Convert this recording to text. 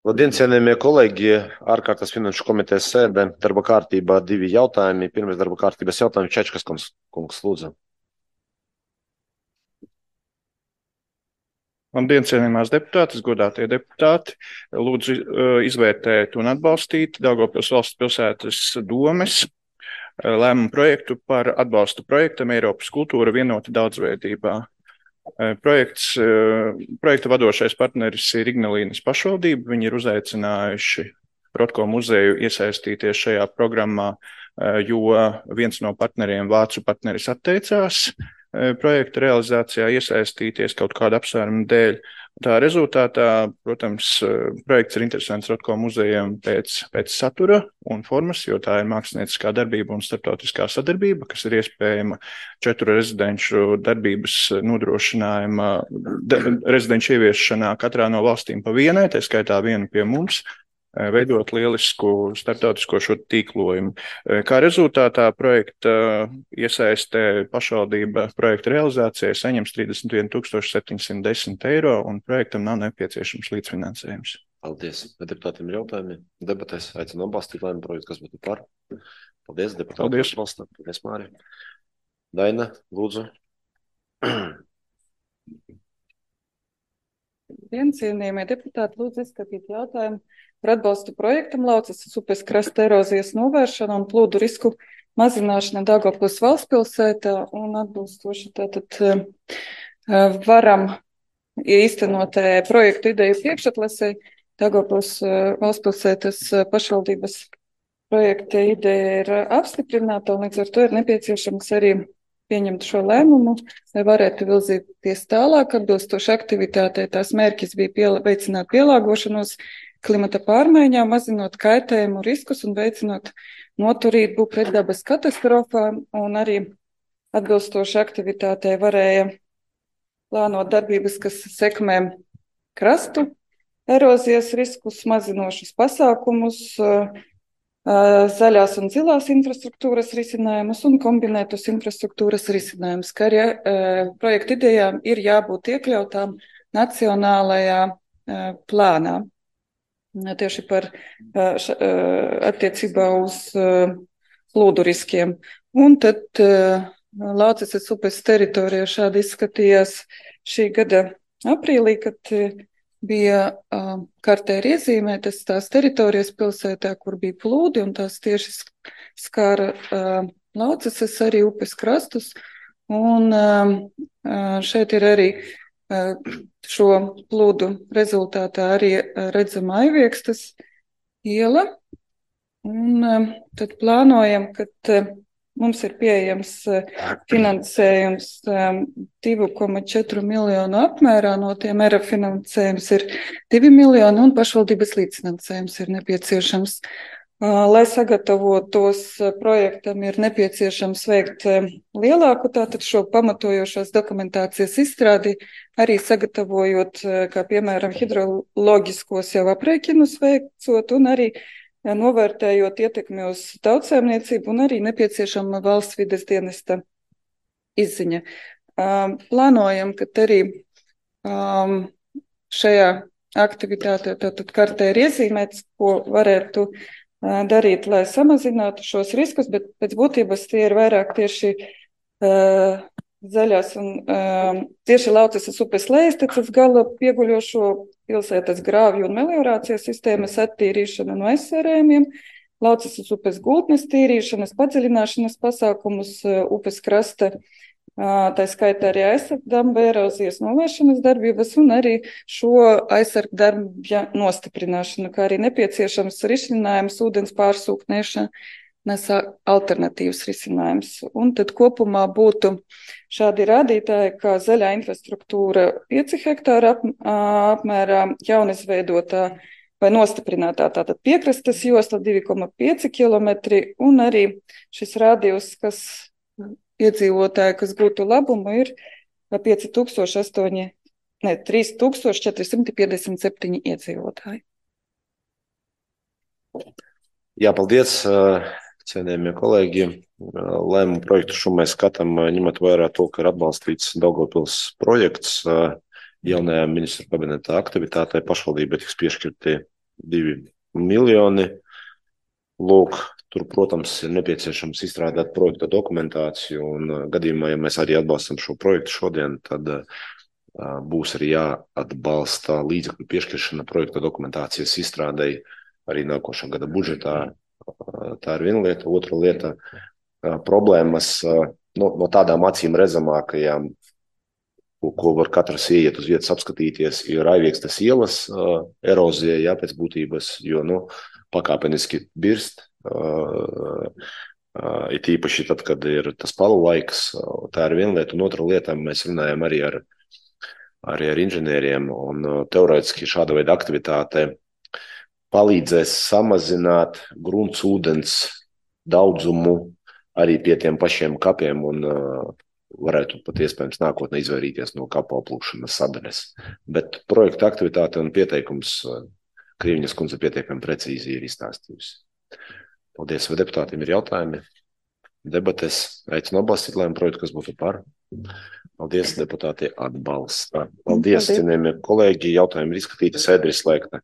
Labdien, cienījamie kolēģi! Ārkārtas finanšu komitejas sēde, darba kārtībā 2 jautājumi. Pirmais darba kārtības jautājums Čečkas kungs, lūdzu. Labdien, cienījamās deputātes, godātie deputāti! Lūdzu izvērtēt un atbalstīt Daugavpils valsts pilsētas domes lēmumu projektu par atbalstu projektam Eiropas kultūra vienota daudzveidībā. Projekta vadošais partneris ir Ignalīnas pašvaldība. Viņi ir uzaicinājuši Rotko muzeju iesaistīties šajā programmā, jo viens no partneriem, vācu partneris, atteicās projekta realizācijā iesaistīties kaut kādu apsvērumu dēļ. Tā rezultātā, protams, projekts ir interesants Rotko muzejiem pēc satura un formas, jo tā ir mākslinieckā darbība un starptautiskā sadarbība, kas ir iespējama 4 rezidenču darbības nodrošinājuma, rezidenču ieviešanā katrā no valstīm pa vienai, tā skaitā vienu pie mums, veidot lielisku starptautisko šo tīklojumu. Kā rezultātā projekta iesaistē pašvaldība projekta realizācijai saņems 31 710 eiro un projektam nav nepieciešams līdzfinansējums. Paldies. Deputātiem ir jautājumi. Debatēs aicinu atbalstīt lēmumu projektu, kas būtu par. Paldies, deputāti. Paldies. Paldies, Māri. Daina, lūdzu. Cienījamie deputāti, lūdzu izskatīt jautājumu par atbalstu projektam Laucas upes krasta erozijas novēršana un plūdu risku mazināšana Daugavpils valstspilsētā un atbilstoši tātad varam īstenot projektu ideju priekšatlasei. Daugavpils valstspilsētas pašvaldības projekta ideja ir apstiprināta un līdz ar to ir nepieciešams arī pieņemt šo lēmumu, lai varētu virzīties tālāk. Atbilstoši aktivitātei tās mērķis bija veicināt pielāgošanos klimata pārmaiņām, mazinot kaitējumu riskus un veicinot noturību pret dabas katastrofām, un arī atbilstoši aktivitātei varēja plānot darbības, kas sekmē krastu erozijas riskus, mazinošus pasākumus, zaļās un zilās infrastruktūras risinājumus un kombinētus infrastruktūras risinājumus, kā arī projekta idejām ir jābūt iekļautām nacionālajā plānā. Tieši par attiecībā uz plūdu riskiem. Un tad Laucas upes teritorijā šādi izskatījās šī gada aprīlī, kad bija kartē ir iezīmētas tās teritorijas pilsētā, kur bija plūdi, un tās tieši skāra Laucas arī upes krastus. Un šeit ir arī šo plūdu rezultātā arī redzama Aiviekstes iela. Un tad plānojam, ka mums ir pieejams finansējums 2,4 miljonu apmērā, no tiem ERA finansējums ir 2 miljoni un pašvaldības līdzfinansējums ir nepieciešams. Lai sagatavotos projektam, ir nepieciešams veikt lielāku tātad šo pamatojošās dokumentācijas izstrādi, arī sagatavojot, kā piemēram, hidroloģiskos jau aprēķinus veicot un arī novērtējot ietekmi uz tautsēmniecību un arī nepieciešama valsts vides dienesta izziņa. Plānojam, ka arī šajā aktivitātē tātad kartē ir iezīmēts, ko varētu darīt, lai samazinātu šos riskus, bet pēc būtības tie ir vairāk tieši zaļās un tieši Laucas upes lejastecas gala pieguļošo pilsētas grāvju un meliorācijas sistēmas attīrīšana no aizsērējumiem, Laucas upes gultnes tīrīšanas, padziļināšanas pasākumus, upes krasta, tā skaitā arī aizsargdamba erozijas novēršanas darbības un arī šo aizsargdarbja nostiprināšanu, kā arī nepieciešams risinājums ūdens pārsūknēšanas alternatīvas risinājums. Un tad kopumā būtu šādi rādītāji, kā zaļā infrastruktūra 5 hektāra apmērā, jaunizveidotā vai nostiprinātā tātad piekrastes josla 2,5 kilometri un arī šis rādījus, kas iedzīvotāji, kas gūtu labumu, ir 3457 iedzīvotāji. Jā, paldies, cienījamie kolēģi. Lēmumu projektu šo mēs skatām, ņemot vērā to, ka ir atbalstīts Daugavpils projekts jaunajā ministru kabineta aktivitātē. Pašvaldībai tiks piešķirti 2 miljoni. Lūk, tur, protams, ir nepieciešams izstrādāt projekta dokumentāciju, un gadījumā, ja mēs arī atbalstam šo projektu šodien, tad būs arī jāatbalsta līdzekļu piešķiršana projekta dokumentācijas izstrādei arī nākošā gada budžetā. Tā ir viena lieta. Otra lieta - problēmas no tādām acīm redzamākajām, ko var katrs ieiet uz vietas apskatīties, ir Aiviekstes ielas erozija, pēc būtības, jo, pakāpeniski birst, it īpaši tad, kad ir tas palu laiks. Tā ir viena lieta, un otra lieta, mēs runājam arī ar inženieriem, un teorētiski šāda veida aktivitāte palīdzēs samazināt gruntsūdens daudzumu arī pie tiem pašiem kapiem, un varētu pat iespējams nākotnē izvairīties no kapu aplūkšanas sadaļas. Bet projekta aktivitāte un pieteikums Krīviņas kundze pietiekami precīzi ir izstāstījusi. Paldies, vai deputātiem ir jautājumi? Debates aicinu atbalstīt lēmumu projektu, kas būtu par. Paldies, deputāti atbalsta. Paldies, cienījamie kolēģi, jautājumi ir izskatīti, sēde ir slēgta.